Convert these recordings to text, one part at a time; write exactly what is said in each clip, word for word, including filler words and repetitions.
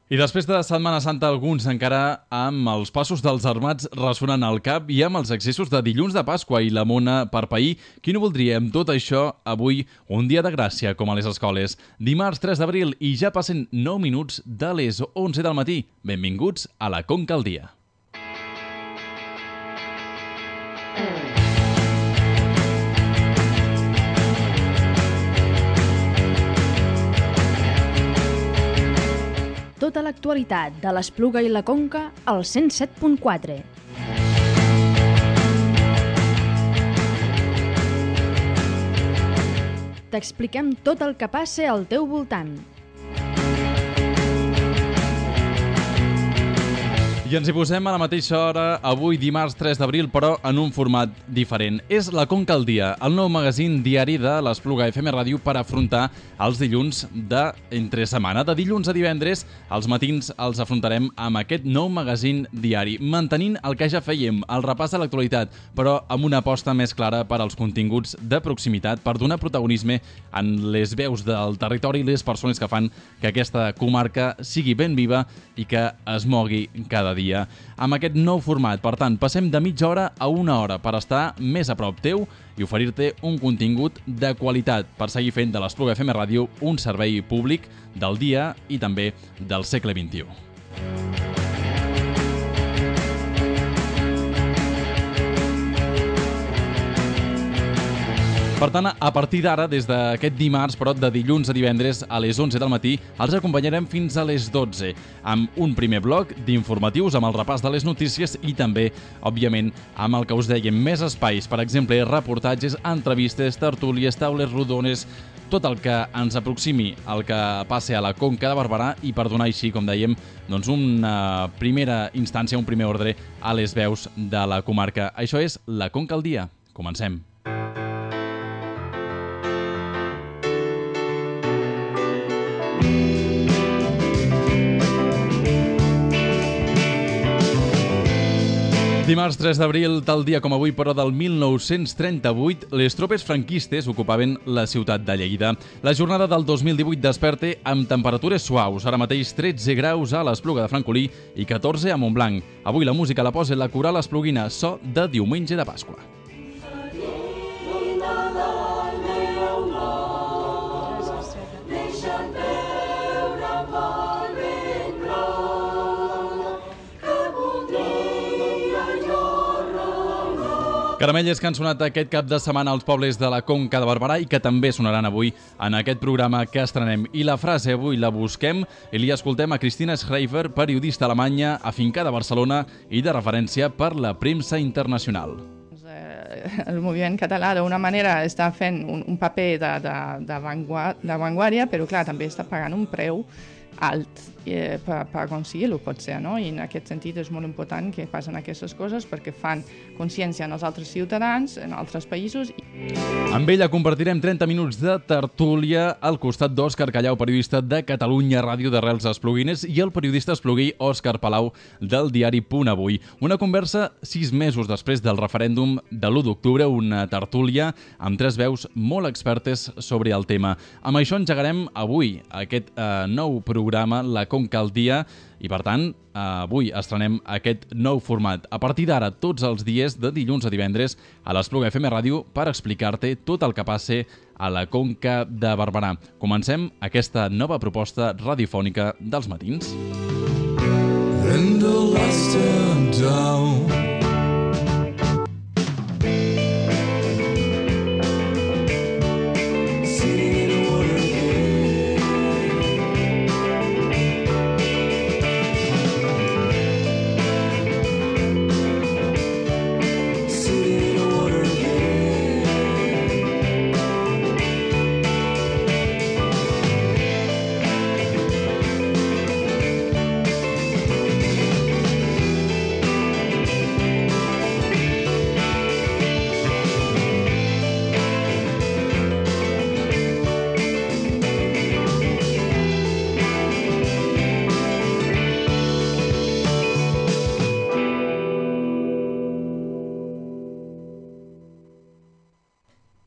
I després de Setmana Santa, alguns encara amb els passos dels armats ressonant al cap i amb els excessos de dilluns de Pasqua i la mona per pair. Qui no voldria amb tot això avui un dia de gràcia com a les escoles? Dimarts tres d'abril i ja passen nou minuts de les onze del matí. Benvinguts a la Conca al Dia. Tota l'actualitat de l'Espluga i la Conca al cent set punt quatre. T'expliquem tot el que passa al teu voltant. I ens hi posem a la mateixa hora, avui dimarts tres d'abril, però en un format diferent. És la Conca al Dia, el nou magazín diari de l'Espluga F M Ràdio per afrontar els dilluns d'entre setmana. De dilluns a divendres, els matins els afrontarem amb aquest nou magazín diari, mantenint el que ja fèiem, el repàs de l'actualitat, però amb una aposta més clara per als continguts de proximitat, per donar protagonisme en les veus del territori i les persones que fan que aquesta comarca sigui ben viva i que es mogui cada dia. dia. Amb aquest nou format, per tant, passem de mitja hora a una hora per estar més a prop teu i oferir-te un contingut de qualitat per seguir fent de l'Espluga F M Ràdio un servei públic del dia i també del segle vint-i-u. Per tant, a partir d'ara, des d'aquest dimarts, però de dilluns a divendres a les onze del matí, els acompanyarem fins a les dotze, amb un primer bloc d'informatius, amb el repàs de les notícies i també, òbviament, amb el que us dèiem, més espais, per exemple, reportatges, entrevistes, tertúlies, taules rodones, tot el que ens aproximi al que passi a la Conca de Barberà i per donar així, com dèiem, doncs una primera instància, un primer ordre a les veus de la comarca. Això és la Conca al Dia. Comencem. Dimarts tres d'abril, tal dia com avui, però del mil nou-cents trenta-vuit, les tropes franquistes ocupaven la ciutat de Lleida. La jornada del dos mil divuit desperta amb temperatures suaus, ara mateix tretze graus a l'Espluga de Francolí i catorze a Montblanc. Avui la música la posa la coral espluguina, so de diumenge de Pasqua. Caramelles que han sonat aquest cap de setmana als pobles de la Conca de Barberà i que també sonaran avui en aquest programa que estrenem. I la frase avui la busquem i li escoltem a Cristina Schreiber, periodista alemanya, afincada a Barcelona i de referència per la premsa internacional. El moviment català d'una manera està fent un, un paper d'avantguàrdia, però clar, també està pagant un preu alt eh, per, per aconseguir-ho, pot ser, no? I en aquest sentit és molt important que passen aquestes coses perquè fan consciència en els altres ciutadans, en altres països. Amb ella compartirem trenta minuts de tertúlia al costat d'Òscar Callau, periodista de Catalunya Ràdio d'Arrels Espluguines, i el periodista espluguí Òscar Palau del diari Punt Avui. Una conversa sis mesos després del referèndum de l'u d'octubre, una tertúlia amb tres veus molt expertes sobre el tema. Amb això engegarem avui aquest eh, nou programa, la Conca al Dia, i per tant, avui estrenem aquest nou format. A partir d'ara, tots els dies, de dilluns a divendres, a l'Espluga F M Ràdio per explicar-te tot el que passe a la Conca de Barberà. Comencem aquesta nova proposta radiofònica dels matins. And the last time down.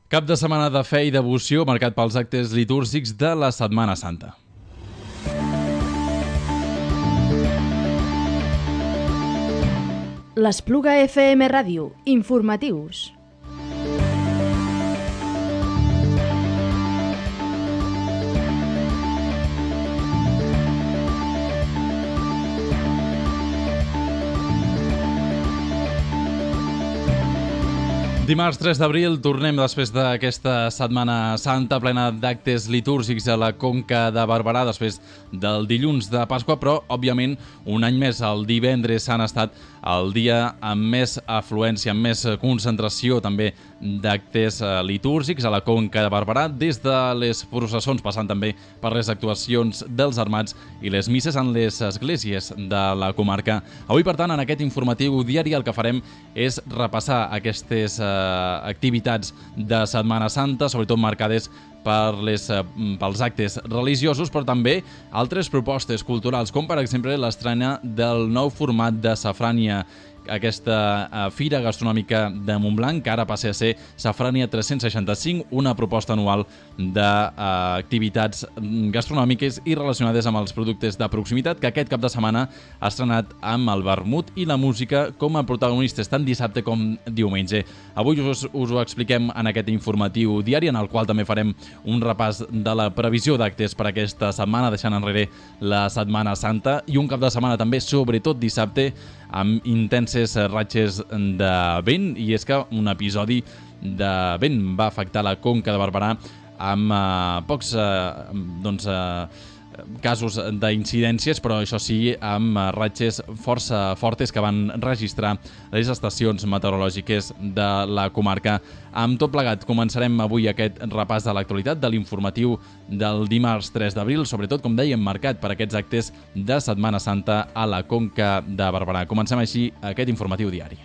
Cap de setmana de fe i devoció marcat pels actes litúrgics de la Setmana Santa. L'Espluga F M Ràdio, informatius. Dimarts tres d'abril tornem després d'aquesta Setmana Santa plena d'actes litúrgics a la Conca de Barberà després del dilluns de Pasqua, però òbviament un any més el divendres Sant ha estat el dia amb més afluència, amb més concentració també d'actes litúrgics a la Conca de Barberà, des de les processons passant també per les actuacions dels armats i les misses en les esglésies de la comarca. Avui, per tant, en aquest informatiu diari el que farem és repassar aquestes eh, activitats de Setmana Santa, sobretot marcades per les, pels actes religiosos, però també altres propostes culturals, com per exemple l'estrena del nou format de Safrània, aquesta uh, fira gastronòmica de Montblanc, que ara passa a ser Safrània tres-cents seixanta-cinc, una proposta anual d'activitats uh, gastronòmiques i relacionades amb els productes de proximitat, que aquest cap de setmana ha estrenat amb el vermut i la música com a protagonistes, tant dissabte com diumenge. Avui us, us ho expliquem en aquest informatiu diari, en el qual també farem un repàs de la previsió d'actes per aquesta setmana, deixant enrere la Setmana Santa, i un cap de setmana també, sobretot dissabte, amb intenses ratxes de vent, i és que un episodi de vent va afectar la Conca de Barberà amb eh, pocs eh, doncs, eh, casos d'incidències, però això sí, amb ratxes força fortes que van registrar les estacions meteorològiques de la comarca. Amb tot plegat, començarem avui aquest repàs de l'actualitat de l'informatiu del dimarts tres d'abril, sobretot, com dèiem, marcat per aquests actes de Setmana Santa a la Conca de Barberà. Comencem així aquest informatiu diari.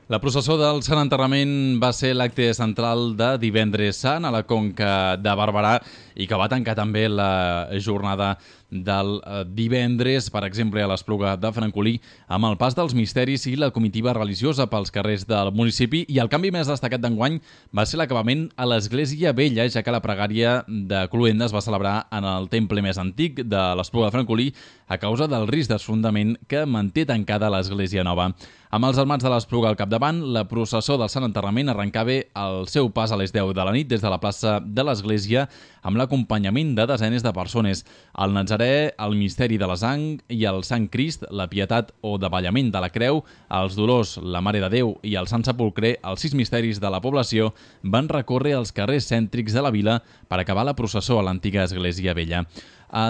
La processó del Sant Enterrament va ser l'acte central de divendres Sant a la Conca de Barberà i que va tancar també la jornada del divendres, per exemple, a l'Espluga de Francolí, amb el pas dels misteris i la comitiva religiosa pels carrers del municipi. I el canvi més destacat d'enguany va ser l'acabament a l'Església Vella, ja que la pregària de Cluenda es va celebrar en el temple més antic de l'Espluga de Francolí a causa del risc d'esfondament que manté tancada l'Església Nova. Amb els armats de l'Espluga al capdavant, la processó del Sant Enterrament arrencava el seu pas a les deu de la nit des de la plaça de l'Església amb l'acompanyament de desenes de persones. El Nazaré, el Misteri de la Sang i el Sant Crist, la Pietat o Davallament de la Creu, els Dolors, la Mare de Déu i el Sant Sepulcre, els sis misteris de la població, van recórrer els carrers cèntrics de la vila per acabar la processó a l'antiga Església Vella.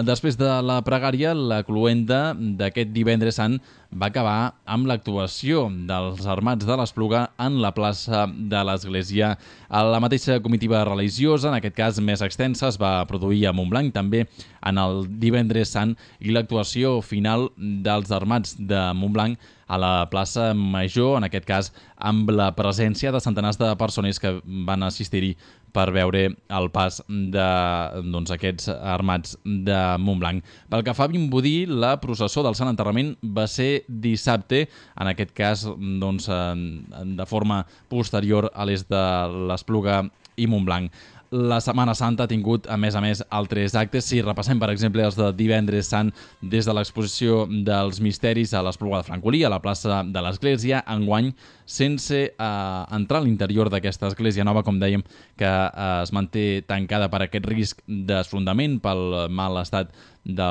Després de la pregària, la cloenda d'aquest divendres Sant va acabar amb l'actuació dels armats de l'Espluga en la plaça de l'Església. La mateixa comitiva religiosa, en aquest cas més extensa, es va produir a Montblanc també en el divendres Sant, i l'actuació final dels armats de Montblanc a la plaça Major, en aquest cas amb la presència de centenars de persones que van assistir-hi per veure el pas d'aquests doncs, armats de Montblanc. Pel que fa a Vimbodí, la processó del Sant Enterrament va ser dissabte, en aquest cas doncs, de forma posterior a les de l'Espluga i Montblanc. La Setmana Santa ha tingut, a més a més, altres actes. Si repassem, per exemple, els de divendres Sant, des de l'exposició dels misteris a l'Espluga de Francolí, a la plaça de l'Església, enguany, sense eh, entrar a l'interior d'aquesta Església Nova, com dèiem, que eh, es manté tancada per aquest risc d'esfondament, pel mal estat de,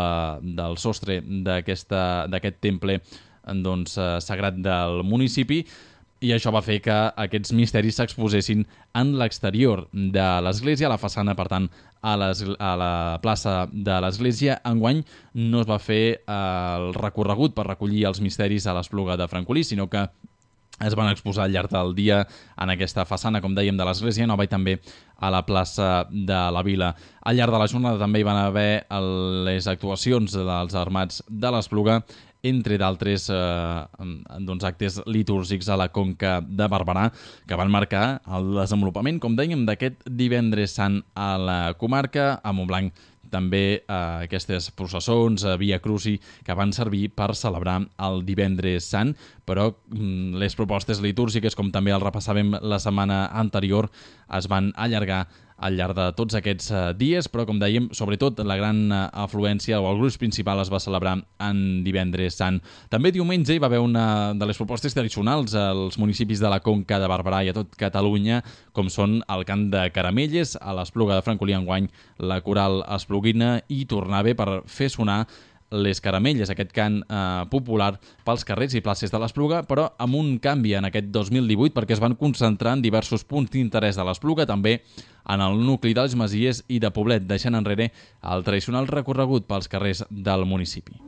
del sostre d'aquest temple doncs, eh, sagrat del municipi. I això va fer que aquests misteris s'exposessin en l'exterior de l'església, a la façana, per tant, a, a la plaça de l'església. Enguany no es va fer eh, el recorregut per recollir els misteris a l'Espluga de Francolí, sinó que es van exposar al llarg del dia en aquesta façana, com dèiem, de l'Església Nova i també a la plaça de la Vila. Al llarg de la jornada també hi van haver les actuacions dels Armats de l'Espluga, entre d'altres eh, doncs, actes litúrgics a la Conca de Barberà, que van marcar el desenvolupament, com dèiem, d'aquest divendres sant a la comarca. A Montblanc també eh, aquestes processons, eh, Via Cruci, que van servir per celebrar el divendres sant, però mm, les propostes litúrgiques, com també el repassàvem la setmana anterior, es van allargar al llarg de tots aquests eh, dies, però com dèiem, sobretot la gran eh, afluència o el gruix principal es va celebrar en divendres sant. També diumenge hi va haver una de les propostes tradicionals als municipis de la Conca de Barberà i a tot Catalunya, com són el cant de Caramelles, a l'Espluga de Francolí enguany la coral espluguina i tornava per fer sonar les Caramelles, aquest cant eh, popular pels carrers i places de l'Espluga, però amb un canvi en aquest dos mil divuit, perquè es van concentrar en diversos punts d'interès de l'Espluga, també en el nucli dels Masies i de Poblet, deixant enrere el tradicional recorregut pels carrers del municipi.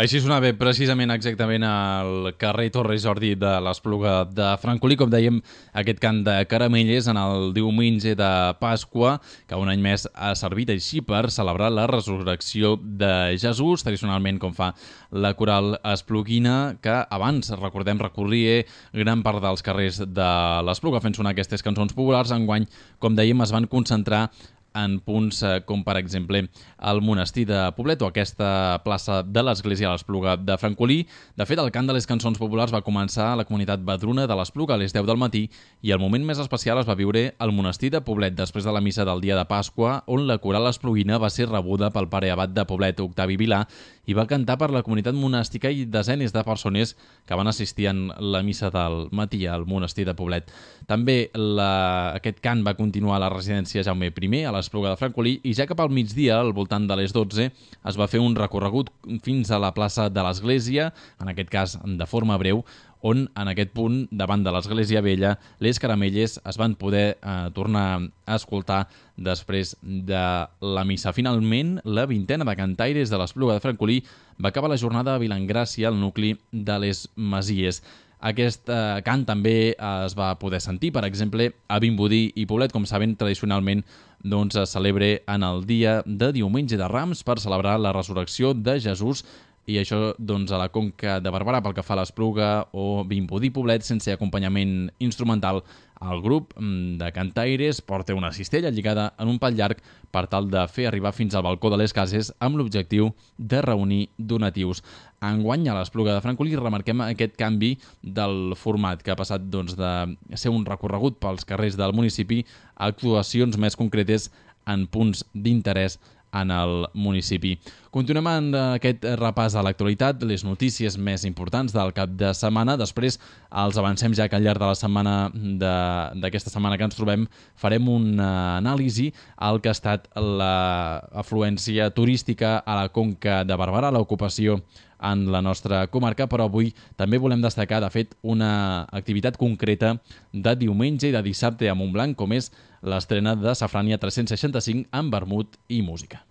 Així sonava precisament exactament al carrer Torres Jordi de l'Espluga de Francolí, com dèiem, aquest cant de Caramelles en el diumenge de Pasqua, que un any més ha servit així per celebrar la resurrecció de Jesús, tradicionalment com fa la coral espluguina, que abans, recordem, recorria gran part dels carrers de l'Espluga fent sonar aquestes cançons populars. Enguany, com dèiem, es van concentrar en punts eh, com, per exemple, el monestir de Poblet o aquesta plaça de l'Església de l'Espluga de Francolí. De fet, el cant de les cançons populars va començar a la comunitat vedruna de l'Espluga a les deu del matí i el moment més especial es va viure al monestir de Poblet després de la missa del dia de Pasqua, on la coral espluguina va ser rebuda pel pare abat de Poblet, Octavi Vilà, i va cantar per la comunitat monàstica i desenes de persones que van assistir en la missa del matí al monestir de Poblet. També la... aquest cant va continuar a la residència Jaume I, a l'Espluga de Francolí, i ja cap al migdia, al voltant de les dotze, es va fer un recorregut fins a la plaça de l'Església, en aquest cas de forma breu, on en aquest punt, davant de l'Església Vella, les Caramelles es van poder eh, tornar a escoltar després de la missa. Finalment, la vintena de cantaires de l'Espluga de Francolí va acabar la jornada a Vilangràcia, al nucli de les Masies. Aquest eh, cant també es va poder sentir, per exemple, a Vimbodí i Poblet, com saben, tradicionalment doncs, es celebra en el dia de diumenge de Rams per celebrar la resurrecció de Jesús, i això doncs, a la Conca de Barberà pel que fa a l'Espluga o Vimbodí Poblet, sense acompanyament instrumental. El grup de cantaires porta una cistella lligada en un pal llarg per tal de fer arribar fins al balcó de les cases amb l'objectiu de reunir donatius. Enguany, a l'Espluga de Francolí remarquem aquest canvi del format, que ha passat doncs, de ser un recorregut pels carrers del municipi a actuacions més concretes en punts d'interès en el municipi. Continuem en aquest repàs a l'actualitat, les notícies més importants del cap de setmana. Després els avancem ja que al llarg de la setmana d'aquesta setmana que ens trobem farem una anàlisi al que ha estat l'afluència turística a la Conca de Barberà, l'ocupació en la nostra comarca, però avui també volem destacar, de fet, una activitat concreta de diumenge i de dissabte a Montblanc, com és l'estrena de Safrània tres-cents seixanta-cinc amb vermut i música.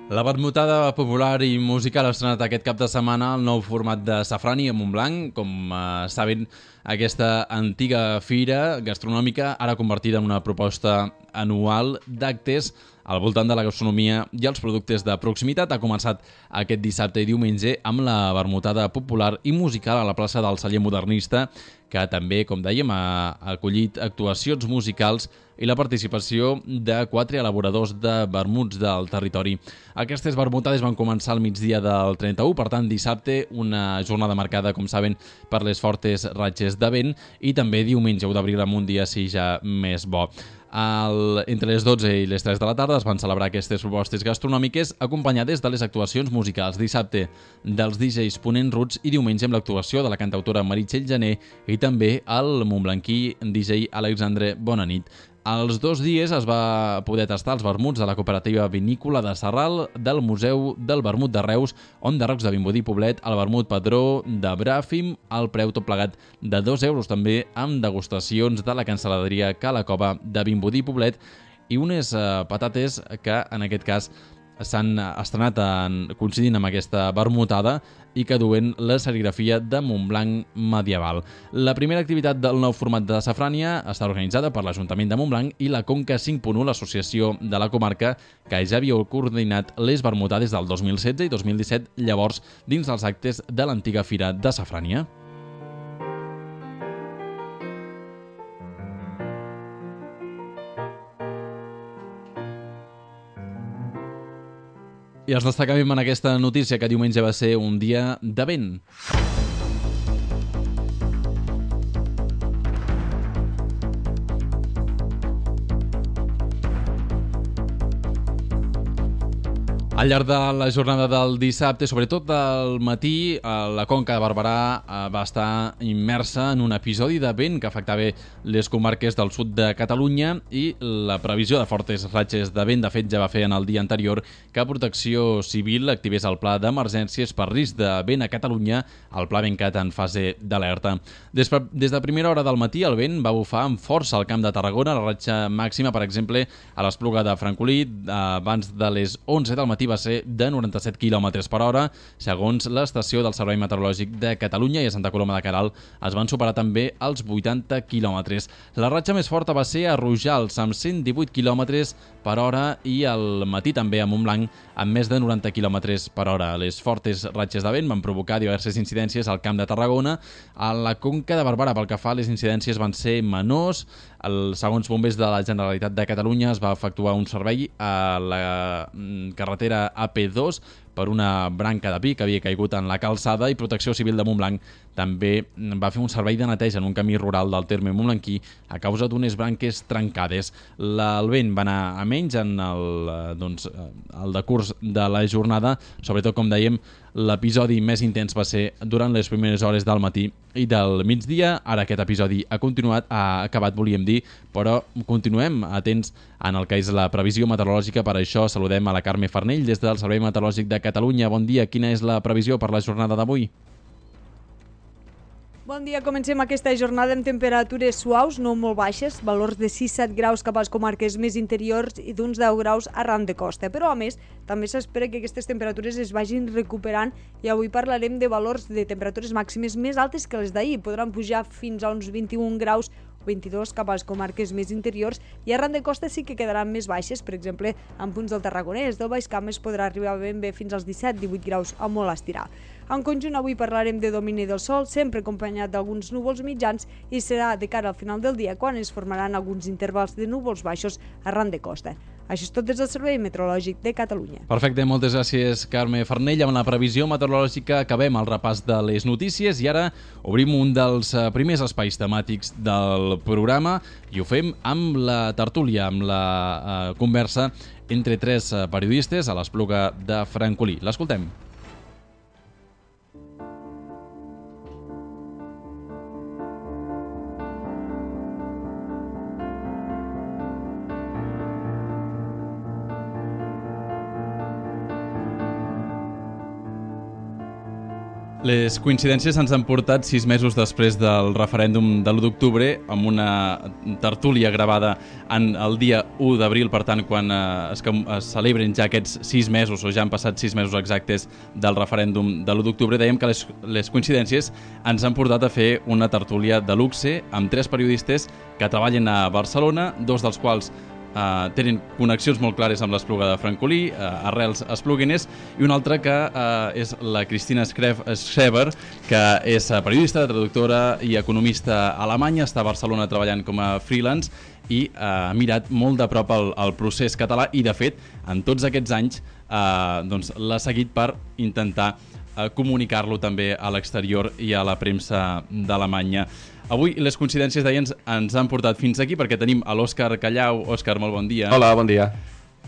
La vermutada popular i musical ha estrenat aquest cap de setmana el nou format de Safrani a Montblanc. Com eh, saben, aquesta antiga fira gastronòmica ara convertida en una proposta anual d'actes al voltant de la gastronomia i els productes de proximitat. Ha començat aquest dissabte i diumenge amb la vermutada popular i musical a la plaça del Celler Modernista, que també, com dèiem, ha acollit actuacions musicals i la participació de quatre elaboradors de vermuts del territori. Aquestes vermutades van començar al migdia del trenta-u, per tant dissabte, una jornada marcada, com saben, per les fortes ratxes de vent, i també diumenge u d'abril amb un dia sí ja més bo. El, entre les dotze i les tres de la tarda es van celebrar aquestes propostes gastronòmiques acompanyades de les actuacions musicals. Dissabte dels D Js Ponent Roots i diumenge amb l'actuació de la cantautora Meritxell Jané i també el montblanquí D J Alexandre Bonanit. Els dos dies es va poder tastar els vermuts de la cooperativa vinícola de Sarral, del Museu del Vermut de Reus, On de Rocs de Vimbodí Poblet, el vermut Padró de Bràfim, al preu tot plegat de dos euros, també amb degustacions de la cancel·laderia Cala Cova de Vimbodí Poblet i unes eh, patates que en aquest cas s'han estrenat en, coincidint amb aquesta vermutada i que duen la serigrafia de Montblanc medieval. La primera activitat del nou format de Safrània està organitzada per l'Ajuntament de Montblanc i la Conca cinc punt u, l'associació de la comarca, que ja havia coordinat les vermutades del dos mil setze i dos mil disset, llavors dins dels actes de l'antiga Fira de Safrània. I els destacàvem en aquesta notícia que diumenge va ser un dia de vent. Al llarg de la jornada del dissabte, sobretot al matí, la Conca de Barberà va estar immersa en un episodi de vent que afectava les comarques del sud de Catalunya i la previsió de fortes ratxes de vent, de fet, ja va fer en el dia anterior que Protecció Civil activés el pla d'emergències per risc de vent a Catalunya, el pla Ventcat en fase d'alerta. Des, des de primera hora del matí, el vent va bufar amb força al Camp de Tarragona. La ratxa màxima, per exemple, a l'Espluga de Francolí, abans de les onze del matí va ser de noranta-set quilòmetres per hora, segons l'estació del Servei Meteorològic de Catalunya, i a Santa Coloma de Queralt es van superar també els vuitanta quilòmetres. La ratxa més forta va ser a Rojals, amb cent divuit quilòmetres per hora, i al matí també a Montblanc, amb més de noranta quilòmetres per hora. Les fortes ratxes de vent van provocar diverses incidències al Camp de Tarragona. A la Conca de Barberà, pel que fa, les incidències van ser menors. El, segons bombers de la Generalitat de Catalunya, es va efectuar un servei a la carretera A P dos per una branca de pi que havia caigut en la calçada, i Protecció Civil de Montblanc també va fer un servei de neteja en un camí rural del terme montblanquí a causa d'unes branques trencades. La, el vent va anar a menys en el, doncs, el decurs de la jornada, sobretot, com dèiem, l'episodi més intens va ser durant les primeres hores del matí i del migdia. Ara aquest episodi ha continuat, ha acabat, volíem dir, però continuem atents en el que és la previsió meteorològica. Per això saludem a la Carme Farnell des del Servei Meteorològic de Catalunya. Bon dia, quina és la previsió per la jornada d'avui? Bon dia, comencem aquesta jornada amb temperatures suaus, no molt baixes, valors de sis a set graus cap a les comarques més interiors i d'uns deu graus arran de costa. Però, a més, també s'espera que aquestes temperatures es vagin recuperant, i avui parlarem de valors de temperatures màximes més altes que les d'ahir. Podran pujar fins a uns vint-i-un graus o vint-i-dos cap a les comarques més interiors, i arran de costa sí que quedaran més baixes, per exemple, en punts del Tarragonès, del Baix Camp es podrà arribar ben bé fins als disset divuit graus a molt estirar. En conjunt, avui parlarem de domini del sol, sempre acompanyat d'alguns núvols mitjans, i serà de cara al final del dia quan es formaran alguns intervals de núvols baixos arran de costa. Això és tot des del Servei Meteorològic de Catalunya. Perfecte, moltes gràcies, Carme Farnell. Amb la previsió meteorològica acabem el repàs de les notícies i ara obrim un dels primers espais temàtics del programa, i ho fem amb la tertúlia, amb la eh, conversa entre tres periodistes a l'Espluga de Francolí. L'escoltem. Les coincidències ens han portat sis mesos després del referèndum de l'u d'octubre amb una tertúlia gravada en el dia u d'abril, per tant, quan eh, es, es celebren ja aquests sis mesos, o ja han passat sis mesos exactes del referèndum de l'u d'octubre, dèiem que les, les coincidències ens han portat a fer una tertúlia de luxe amb tres periodistes que treballen a Barcelona, dos dels quals Uh, tenen connexions molt clares amb l'Espluga de Francolí, uh, arrels espluguines, i una altra que uh, és la Cristina Schreber, que és periodista, traductora i economista alemanya, està a Barcelona treballant com a freelance i uh, ha mirat molt de prop el, el procés català i, de fet, en tots aquests anys uh, doncs, l'ha seguit per intentar uh, comunicar-lo també a l'exterior i a la premsa d'Alemanya. Avui les coincidències, deia, ens, ens han portat fins aquí perquè tenim a l'Òscar Callau. Òscar, molt bon dia. Hola, bon dia.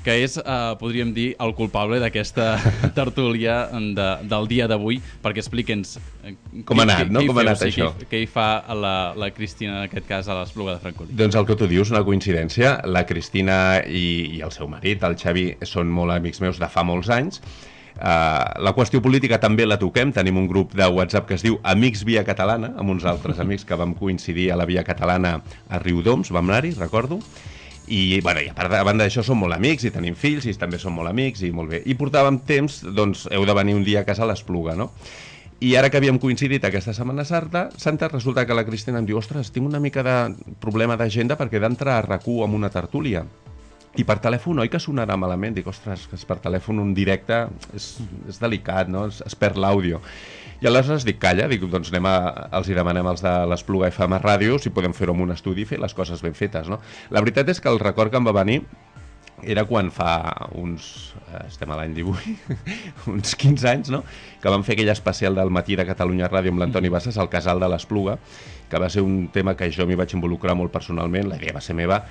Que és, eh, podríem dir, el culpable d'aquesta tertúlia de, del dia d'avui, perquè explique'ns eh, com ha anat, no? Com ha anat això? Què, què hi fa la, la Cristina, en aquest cas, a l'Espluga de Francolí? Doncs el que tu dius, una coincidència. La Cristina i, i el seu marit, el Xavi, són molt amics meus de fa molts anys. Uh, la qüestió política també la toquem, tenim un grup de WhatsApp que es diu Amics Via Catalana, amb uns altres amics que vam coincidir a la Via Catalana a Riudoms, vam anar-hi, recordo, i, bueno, i a part de, a banda d'això som molt amics i tenim fills i també som molt amics i molt bé, i portàvem temps, doncs heu de venir un dia a casa a l'Espluga, no? I ara que havíem coincidit aquesta Setmana Santa, Santa resulta que la Cristina em diu, ostres, tinc una mica de problema d'agenda perquè he d'entrar a RAC u amb una tertúlia. I per telèfon, oi que sonarà malament? Dic, ostres, que per telèfon un directe és, és delicat, no? Es, es perd l'àudio. I aleshores dic, calla, dic, doncs anem a, els hi demanem als de l'Espluga F M Ràdio si podem fer-ho en un estudi i fer les coses ben fetes, no? La veritat és que el record que em va venir era quan fa uns, estem a l'any divuit, uns quinze anys, no? Que vam fer aquell especial del Matí de Catalunya Ràdio amb l'Antoni Bassas, al Casal de l'Espluga, que va ser un tema que jo m'hi vaig involucrar molt personalment, la idea va ser meva,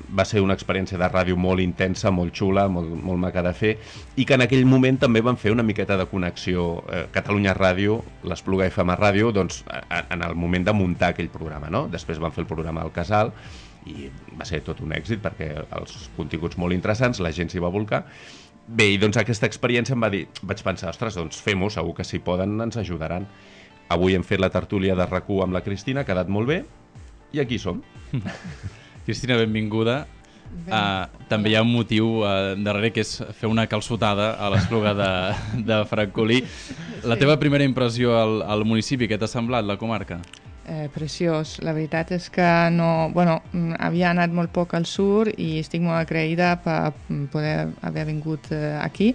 va ser una experiència de ràdio molt intensa, molt xula, molt, molt maca de fer, i que en aquell moment també van fer una miqueta de connexió eh, Catalunya Ràdio, l'Espluga F M Ràdio, doncs en el moment de muntar aquell programa, no? Després van fer el programa al Casal, i va ser tot un èxit perquè els continguts molt interessants, la gent s'hi va volcar. Bé, i doncs aquesta experiència em va dir, vaig pensar, ostres, doncs fem-ho, segur que si poden ens ajudaran. Avui hem fet la tertúlia de RAC u amb la Cristina, ha quedat molt bé, i aquí som. Cristina, benvinguda. Uh, també hi ha un motiu uh, darrere, que és fer una calçotada a l'Espluga de, de Francolí. La teva primera impressió al, al municipi, què t'ha semblat, la comarca? Eh, preciós. La veritat és que no... Bueno, havia anat molt poc al sur i estic molt agraïda per poder haver vingut eh, aquí,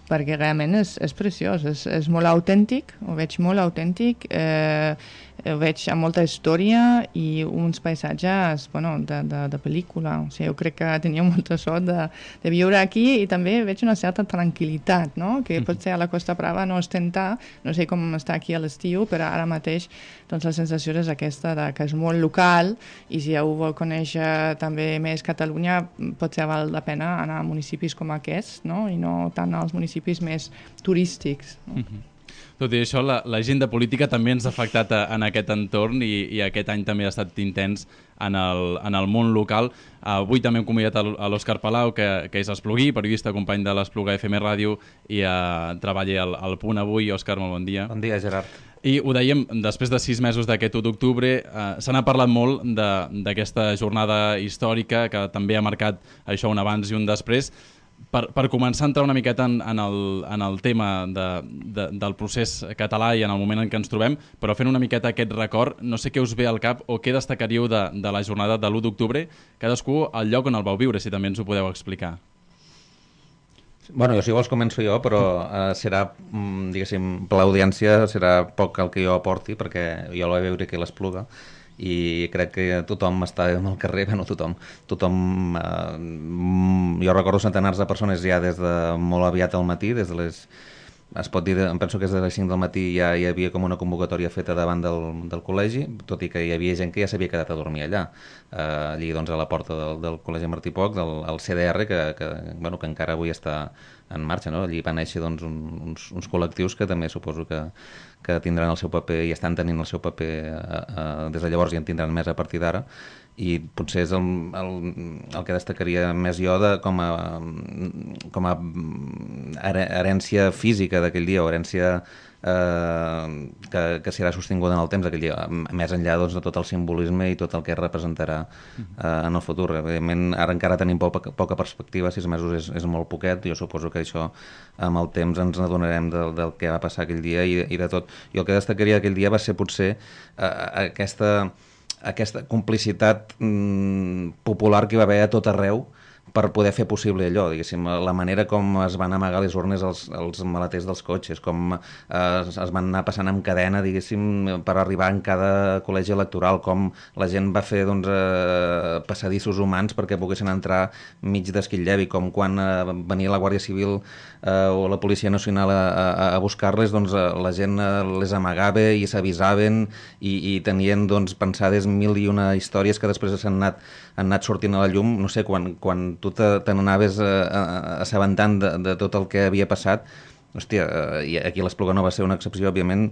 perquè realment és, és preciós, és, és molt autèntic, ho veig molt autèntic, eh, ho veig amb molta història i uns paisatges, bueno, de, de, de pel·lícula. O sigui, jo crec que tenia molta sort de, de viure aquí i també veig una certa tranquil·litat, no? Que potser a la Costa Brava no és tentar, no sé com està aquí a l'estiu, però ara mateix doncs, la sensació és aquesta, de, que és molt local, i si algú vol conèixer també més Catalunya, potser val la pena anar a municipis com aquests, no? I no tant als municipis més turístics. No? Mm-hmm. Tot i això, la, l'agenda política també ens ha afectat a, en aquest entorn i, i aquest any també ha estat intens en el, en el món local. Avui també hem convidat a l'Òscar Palau, que, que és esplugui, periodista, company de l'Espluga F M Ràdio, i uh, treballa al, al Punt Avui. Òscar, molt bon dia. Bon dia, Gerard. I ho dèiem, després de sis mesos d'aquest u d'octubre, eh, se n'ha parlat molt d'aquesta jornada històrica que també ha marcat això un abans i un després. Per, per començar a entrar una miqueta en, en, el, en el tema de, de, del procés català i en el moment en què ens trobem, però fent una miqueta aquest record, no sé què us ve al cap o què destacaríeu de, de la jornada de l'u d'octubre, cadascú al lloc on el vau viure, si també ens ho podeu explicar. Bueno, jo si vols començo jo, però eh, serà, diguéssim, per l'audiència serà poc el que jo aporti, perquè jo la vaig veure aquí a l'Espluga, i crec que tothom està al carrer, bueno, tothom, tothom eh, jo recordo centenars de persones ja des de molt aviat al matí, des de les, es pot dir, em penso que des de les cinc del matí ja hi havia com una convocatòria feta davant del, del col·legi, tot i que hi havia gent que ja s'havia quedat a dormir allà, eh, allí doncs a la porta del, del col·legi Martí Poch, del el C D R, que, que, bueno, que encara avui està en marxa, no? Allí van néixer doncs, un, uns, uns col·lectius que també suposo que, que tindran el seu paper i estan tenint el seu paper eh, eh, des de llavors i en tindran més a partir d'ara, i potser és el, el, el que destacaria més jo de, com a, com a herència física d'aquell dia, o herència eh, que, que serà sostinguda en el temps aquell dia, més enllà doncs, de tot el simbolisme i tot el que representarà eh, en el futur. Evidentment, ara encara tenim poca, poca perspectiva, sis mesos és, és molt poquet, jo suposo que això amb el temps ens adonarem del, del que va passar aquell dia i, i de tot. I el que destacaria aquell dia va ser potser eh, aquesta, aquesta complicitat mm, popular que hi va haver a tot arreu per poder fer possible allò, diguéssim, la manera com es van amagar les urnes als, als maleters dels cotxes, com eh, es van anar passant amb cadena, diguéssim, per arribar en cada col·legi electoral, com la gent va fer doncs, eh, passadissos humans perquè poguessin entrar mig d'Esquitlleu, com quan eh, venia la Guàrdia Civil eh, o la Policia Nacional a, a, a buscar-les, doncs eh, la gent eh, les amagava i s'avisaven i, i tenien doncs, pensades mil i una històries que després s'han anat, han anat sortint a la llum, no sé, quan, quan tu te, te n'anaves eh, assabentant de, de tot el que havia passat. Hòstia, eh, i aquí l'Espluga no va ser una excepció, òbviament,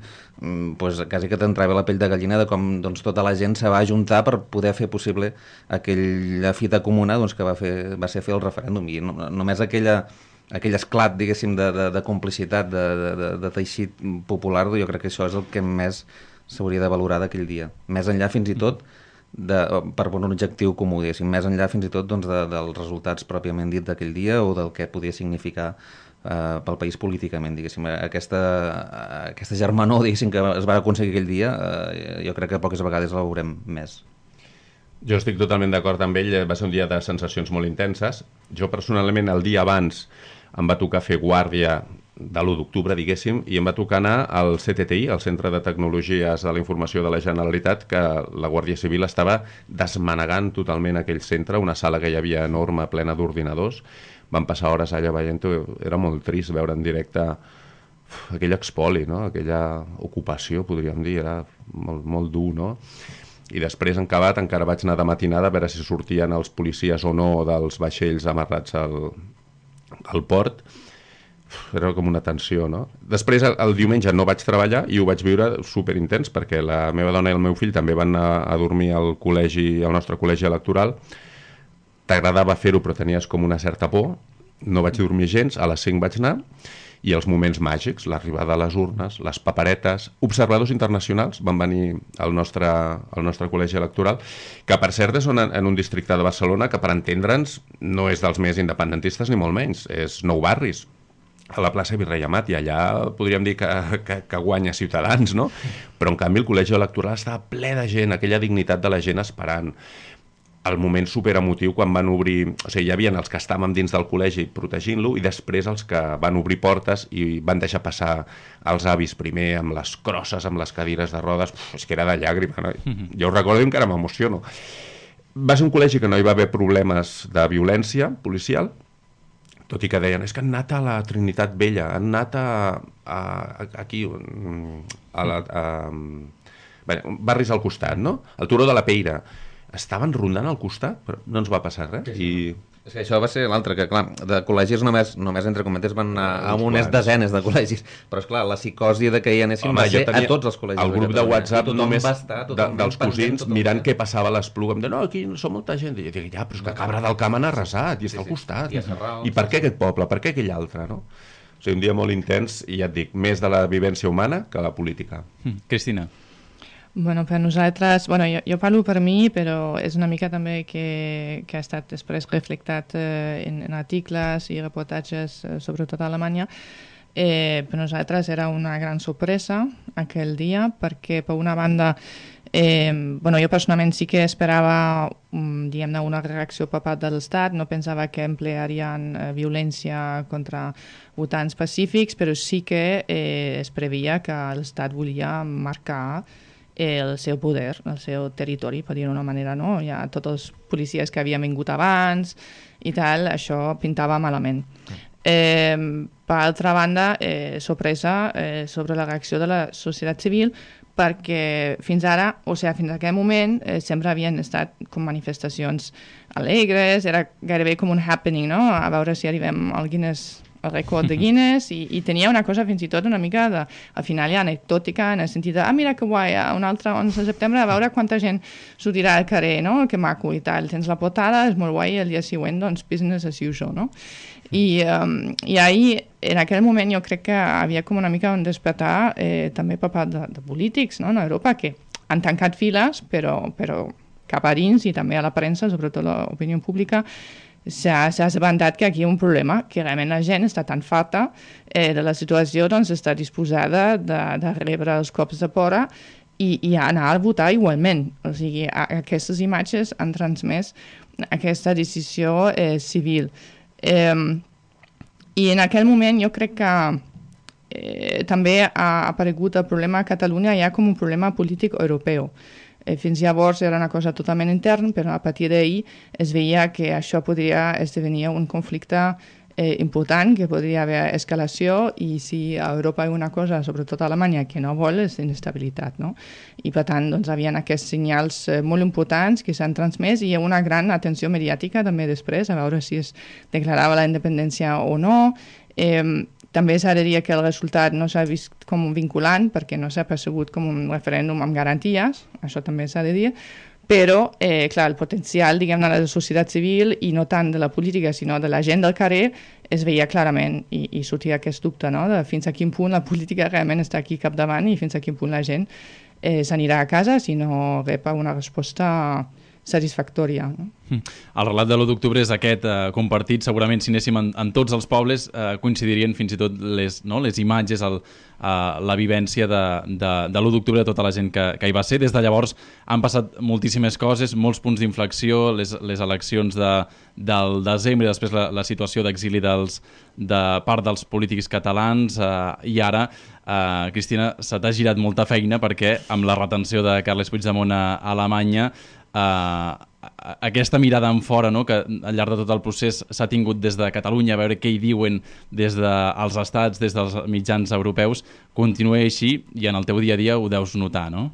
pues, quasi que t'entrava la pell de gallina de com doncs, tota la gent se va ajuntar per poder fer possible aquella fita comuna doncs, que va, fer, va ser fer el referèndum. I no, només aquella, aquell esclat, diguéssim, de, de, de complicitat, de, de, de teixit popular, jo crec que això és el que més s'hauria de valorar d'aquell dia. Més enllà, fins i tot, de, per un objectiu comú, diguéssim, més enllà fins i tot doncs, de, dels resultats pròpiament dit d'aquell dia o del que podia significar eh, pel país políticament, diguéssim. Aquesta, aquesta germanor, diguéssim, que es va aconseguir aquell dia, eh, jo crec que poques vegades la veurem més. Jo estic totalment d'acord amb ell, va ser un dia de sensacions molt intenses. Jo personalment el dia abans em va tocar fer guàrdia de l'u d'octubre, diguéssim, i em va tocar anar al C T T I, al Centre de Tecnologies de la Informació de la Generalitat, que la Guàrdia Civil estava desmanegant totalment aquell centre, una sala que hi havia enorme, plena d'ordinadors. Vam passar hores allà veient-ho, era molt trist veure en directe uf, aquell expoli, no? Aquella ocupació, podríem dir, era molt, molt dur, no? I després, en acabat, encara vaig anar de matinada a veure si sortien els policies o no dels vaixells amarrats al, al port. Era com una tensió, no? Després, el, el diumenge no vaig treballar i ho vaig viure superintens perquè la meva dona i el meu fill també van anar a dormir al col·legi, al nostre col·legi electoral. T'agradava fer-ho, però tenies com una certa por. No vaig dormir gens, a les cinc vaig anar, i els moments màgics, l'arribada a les urnes, les paperetes, observadors internacionals van venir al nostre, al nostre col·legi electoral, que per cert és en, en un districte de Barcelona que, per entendre'ns, no és dels més independentistes ni molt menys, és Nou Barris, a la plaça Virrei Amat, i allà podríem dir que, que, que guanya Ciutadans, no? Però en canvi el col·legi electoral estava ple de gent, aquella dignitat de la gent esperant. El moment superemotiu quan van obrir, o sigui, hi havia els que estàvem dins del col·legi protegint-lo i després els que van obrir portes i van deixar passar els avis primer amb les crosses, amb les cadires de rodes. Uf, és que era de llàgrima, no? Mm-hmm. Jo ho recordo i encara m'emociono. Va ser un col·legi que no hi va haver problemes de violència policial, tot i que deien, és que han anat a la Trinitat Vella, han anat a, a, a aquí, a, la, a, a barris al costat, no? Al Turó de la Peira. Estaven rondant al costat, però no ens va passar res. I... És que això va ser l'altre, que clar, de col·legis només, només entre cometes van anar a unes desenes de col·legis, però esclar, la psicosi de que hi anessin Home, va ser a tots els col·legis. El grup de WhatsApp només estar, de, dels cosins mirant què passava a l'Espluga, em deien, no, aquí som molta gent, i jo dic, ja, però és que Cabra del Camp han arrasat, i està al costat, i, i per què aquest poble, per què aquell altre, no? O sigui, un dia molt intens, i ja et dic, més de la vivència humana que la política. Mm. Cristina. Bueno, per nosaltres, bueno, jo, jo parlo per mi, però és una mica també que, que ha estat després reflectat eh, en, en articles i reportatges, eh, sobretot a Alemanya. Eh, per nosaltres era una gran sorpresa aquell dia, perquè per una banda, eh, bueno, jo personalment sí que esperava um, diguem-ne, una reacció per part de l'Estat, no pensava que emplearien eh, violència contra votants pacífics, però sí que eh, es previa que l'Estat volia marcar el seu poder, el seu territori, per dir-ho d'una manera, no? Ja tots els policies que havien vingut abans i tal, això pintava malament. Eh, per altra banda, eh, sorpresa eh, sobre la reacció de la societat civil, perquè fins ara, o sigui, fins a aquell moment, eh, sempre havien estat com manifestacions alegres, era gairebé com un happening, no? A veure si arribem al Guinness el rècord de Guinness, i, i tenia una cosa fins i tot una mica de, al final ja anecdòtica, en el sentit de, ah, mira que guai, un altre onze de setembre, a veure quanta gent sortirà al carrer, no? Que maco i tal, tens la portada, és molt guai, i el dia següent, doncs, business as usual, no? I, um, i ahir, en aquell moment, jo crec que havia com una mica un despertar eh, també per part de, de polítics, no?, en Europa, que han tancat files, però, però cap a dins i també a la premsa, sobretot l'opinió pública, s'ha assabentat que aquí hi ha un problema, que realment la gent està tan farta eh, de la situació, doncs està disposada de, de rebre els cops de pora i, i anar a votar igualment. O sigui, a, aquestes imatges han transmès aquesta decisió eh, civil. Eh, I en aquell moment jo crec que eh, també ha aparegut el problema a Catalunya ja com un problema polític europeu. Eh, fins llavors era una cosa totalment interna, però a partir d'ahir es veia que això podria esdevenir un conflicte eh, important, que podria haver escalació, i si a Europa hi ha una cosa, sobretot a Alemanya, que no vol, és d'inestabilitat, no? I per tant, doncs, havien aquests senyals eh, molt importants que s'han transmès, i hi ha una gran atenció mediàtica també després, a veure si es declarava la independència o no. Eh, també s'ha de dir que el resultat no s'ha vist com un vinculant, perquè no s'ha percebut com un referèndum amb garanties, això també s'ha de dir, però, eh, clar, el potencial, diguem-ne, de la societat civil, i no tant de la política, sinó de la gent del carrer, es veia clarament, i, i sortia aquest dubte, no?, de fins a quin punt la política realment està aquí capdavant i fins a quin punt la gent eh, s'anirà a casa si no rep una resposta satisfactòria. No? El relat de l'u d'octubre és aquest eh, compartit. Segurament si anéssim en, en tots els pobles eh, coincidirien fins i tot les, no, les imatges, el, eh, la vivència de, de, de l'u d'octubre de tota la gent que, que hi va ser. Des de llavors han passat moltíssimes coses, molts punts d'inflexió, les, les eleccions de, del desembre i després la, la situació d'exili dels, de part dels polítics catalans eh, i ara, eh, Cristina, se t'ha girat molta feina perquè amb la retenció de Carles Puigdemont a, a Alemanya, Uh, aquesta mirada en fora, no?, que al llarg de tot el procés s'ha tingut des de Catalunya, a veure què hi diuen des dels estats, des dels mitjans europeus, continua així i en el teu dia a dia ho deus notar, no?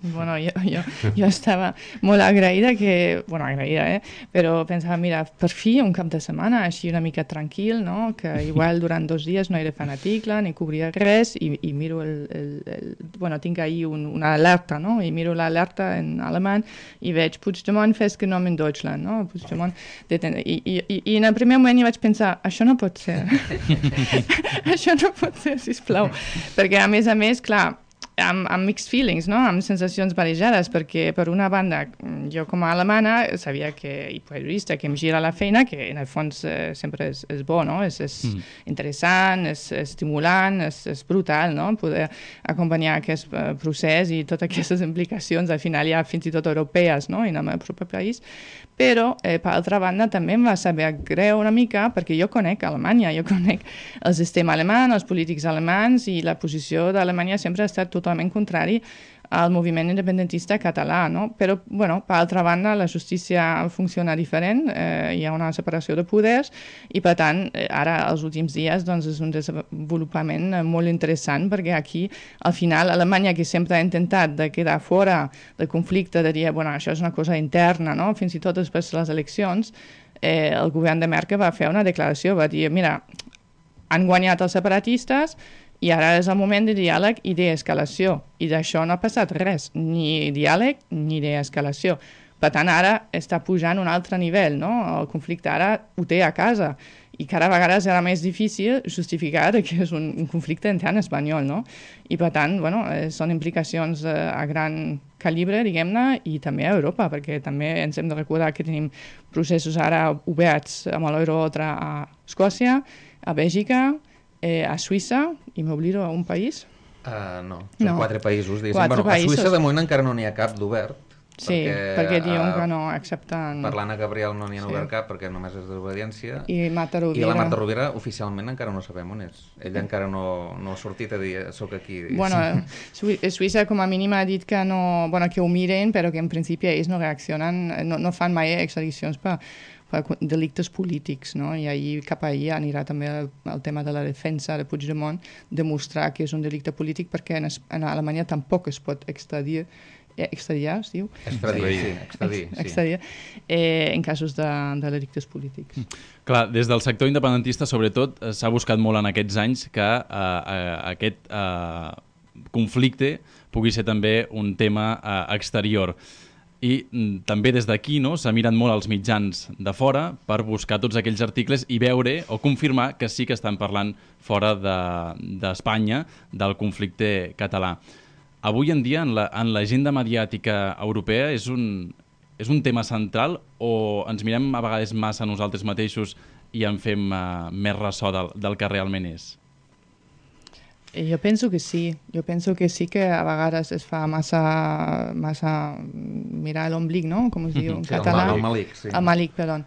Bueno, jo, jo, jo estava molt agraïda, que, bueno, agraïda, eh? Però pensava, mira, per fi un cap de setmana així una mica tranquil, no? Que igual durant dos dies no he de fer un article ni cobrir res, i, i miro el, el, el... Bueno, tinc ahir un, una alerta, no? I miro l'alerta en alemany i veig Puigdemont festgenommen in Deutschland, no? Puigdemont deten... I, i, i, I en el primer moment hi vaig pensar, això no pot ser. Això no pot ser, sisplau. Perquè, a més a més, clar, amb, amb mixed feelings, no? Amb sensacions barrejades, perquè per una banda jo com a alemana sabia que, i periodista, que em gira la feina, que en el fons eh, sempre és, és bo, no? És, és mm. interessant, és, és estimulant, és, és brutal, no? Poder acompanyar aquest uh, procés i totes aquestes implicacions, al final ja fins i tot europees, no? I en el meu propi país. Però, eh, per altra banda, també em va saber greu una mica, perquè jo conec Alemanya, jo conec el sistema alemany, els polítics alemans, i la posició d'Alemanya sempre ha estat totalment contrari al moviment independentista català, no? Però, bueno, per altra banda, la justícia funciona diferent, eh, hi ha una separació de poders, i per tant, eh, ara, els últims dies, doncs, és un desenvolupament eh, molt interessant, perquè aquí, al final, Alemanya, que sempre ha intentat de quedar fora del conflicte, de dir, bueno, això és una cosa interna, no? Fins i tot després de les eleccions, eh, el govern de Merkel va fer una declaració, va dir, mira, han guanyat els separatistes, i ara és el moment de diàleg i d'escalació. I d'això no ha passat res, ni diàleg ni d'escalació. Per tant, ara està pujant un altre nivell, no? El conflicte ara ho té a casa. I cada vegada serà més difícil justificar que és un, un conflicte intern espanyol, no? I per tant, bueno, eh, són implicacions eh, a gran calibre, diguem-ne, i també a Europa, perquè també ens hem de recordar que tenim processos ara oberts amb l'Eurotra a Escòcia, a Bèlgica, Eh, a Suïssa, i m'oblido a un país? Uh, no, són no. quatre països. Quatre bueno, països. A Suïssa de moment encara no n'hi ha cap d'obert. Sí, perquè, perquè diuen uh, que no accepten... Per l'Anna Gabriel no n'hi ha sí. obert cap, perquè només és d'obediència. I Marta Rovira... I la Marta Rovira oficialment encara no sabem on és. Ella encara no, no ha sortit a dir soc aquí. Bueno, Suïssa com a mínim ha dit que no... Bueno, que ho miren, però que en principi ells no reaccionen, no, no fan mai extradicions per... per delictes polítics, no? I ahir, cap ahir anirà també el, el tema de la defensa de Puigdemont, demostrar que és un delicte polític, perquè en, en Alemanya tampoc es pot extradir extradiar, es diu? Extradir, sí, extradir, sí. Extradir, eh, en casos de, de delictes polítics. Mm. Clar, des del sector independentista, sobretot, s'ha buscat molt en aquests anys que eh, eh, aquest eh, conflicte pugui ser també un tema eh, exterior. I mm, també des d'aquí no, s'ha mirat molt als mitjans de fora per buscar tots aquells articles i veure o confirmar que sí que estan parlant fora d'Espanya de, del conflicte català. Avui en dia, en l'agenda la, mediàtica europea, és un, és un tema central o ens mirem a vegades massa nosaltres mateixos i en fem uh, més ressò del, del que realment és? Jo penso que sí, jo penso que sí que a vegades es fa massa, massa mirar l'omblic, no? Com es diu en sí, català? El malic, sí. El malic, perdó.